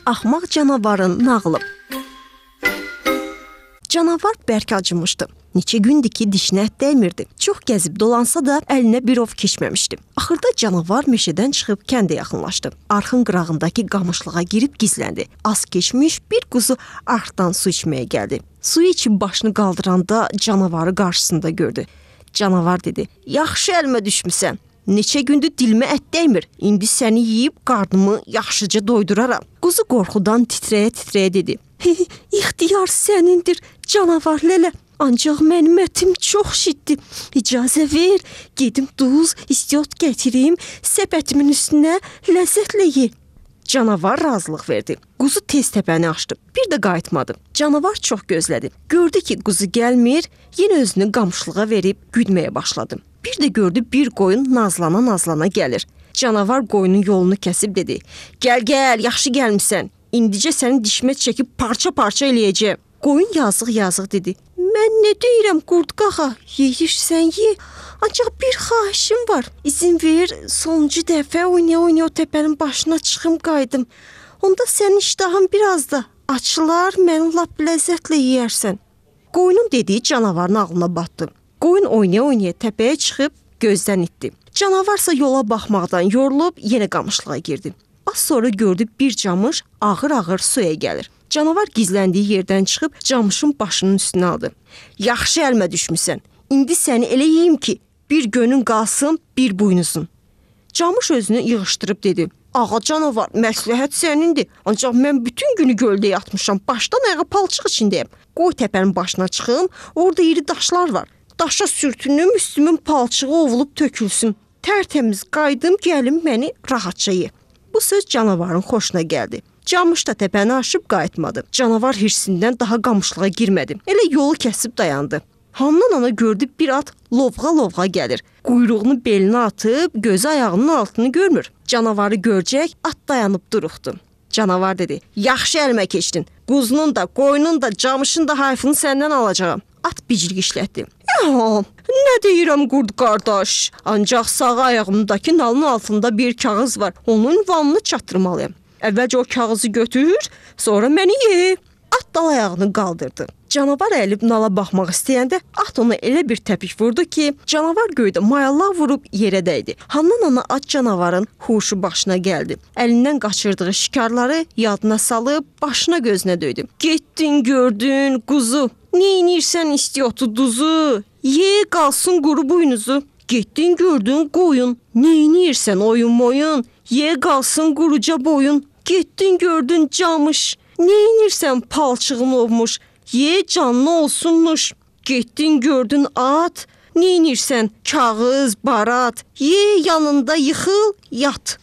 Axmaq canavarın nağılı. Canavar bərk acımışdı. Neçə gündür ki, dişinə ət dəymirdi. Çox gəzib dolansa da əlinə bir ov keçməmişdi. Axırda canavar meşədən çıxıb kəndə yaxınlaşdı. Arxın qırağındakı qamışlığa girib gizləndi. Az keçmiş bir quzu arxdan su içməyə gəldi. Suyu içib başını qaldıranda canavarı qarşısında gördü. Canavar dedi: "Yaxşı əlimə düşmüsən. Neçə gündür dilimə ət dəymir. İndi səni yeyib qarnımı yaxşıca doyduraram." Quzu qorxudan titrəyə-titrəyə dedi: "İxtiyar sənindir, canavar lələ. Ancaq mənim ətim çox şiddir. İcazə ver, gedim duz, istiot gətirim, səbətimin üstünə ləzzətlə ye." Canavar razılıq verdi. Quzu tez təpəni açdı. Bir də qayıtmadı. Canavar çox gözlədi. Gördü ki, quzu gəlmir, yenə özünü qamışlığa verib güdməyə başladı. Bir də gördü bir qoyun nazlana-nazlana gəlir. Canavar qoyunun yolunu kəsib dedi: "Gəl, yaxşı gəlmisən. İndicə səni dişmə çəkib parça-parça eləyəcəm." Qoyun yazıq dedi: "Mən nə deyirəm qurdqağa, yeyirsən ye. Ancaq bir xahişim var. İzin ver, sonuncu dəfə oynaya-oynaya o təpənin başına çıxım qayıdım. Onda sənin iştahın biraz da açılar, məni lap ləzzətlə yeyərsən." Qoyunun dediyi canavarın ağlına batdı. Qoyun oynaya-oynaya təpəyə çıxıb gözdən itdi. Canavarsa yola baxmaqdan yorulub yenə qamışlığa girdi. Az sonra gördü bir camış ağır-ağır suya gəlir. Canavar gizləndiyi yerdən çıxıb camışın başının üstünə aldı. "Yaxşı əlimə düşmüsən. İndi səni elə yeyim ki, bir gönün qalsın, bir buynuzun." Camış özünü yığışdırıb dedi: "Ağa canavar, məsləhət sənindir. Ancaq mən bütün günü göldə yatmışam, başdan ayağa palçıq içindəyəm. Qoy təpənin başına çıxım, orada iri daşlar var. Daşa sürtünüm, üstümün palçığı ovulub tökülsün. Tərtəmiz qayıdım, gəlim məni rahatca ye." Bu söz canavarın xoşuna gəldi. Camış da təpəni aşıb qayıtmadı. Canavar hirsindən daha qamışlığa girmədi. Elə yolu kəsib dayandı. Handan ana gördü bir at lovğa-lovğa gəlir. Quyruğunu belinə atıb gözü ayağının altını görmür. Canavarı görəcək at dayanıb duruxdu. Canavar dedi: "Yaxşı əlimə keçdin. Quzunun da, qoyunun da, camışın da hayfını səndən alacağam." At biclik işlətdi. "Nə deyirəm qurd qardaş? Ancaq sağ ayağımdakı nalın altında bir kağız var. Onun ünvanını çatdırmalıyam. Əvvəlcə o kağızı götür, sonra məni ye." At dal ayağını qaldırdı. Canavar əlib nala baxmaq istəyəndə at ona elə bir təpik vurdu ki, canavar göydə mayallaq vurub yerə dəydi. Handan ana at canavarın huşu başına gəldi. Əlindən qaçırdığı şikarları yadına salıb başına gözünə döydü. "Getdin gördün quzu, neynirsən istiotu duzu, ye qalsın quru buynuzu. Getdin gördün qoyun, neynirsən oyun, ye qalsın quruca boyun. Getdin gördün camış, neynirsən palçığın olmuş, ye canlı olsunmuş. Getdin gördün at, neynirsən kağız, barat, ye yanında yıxıl, yat."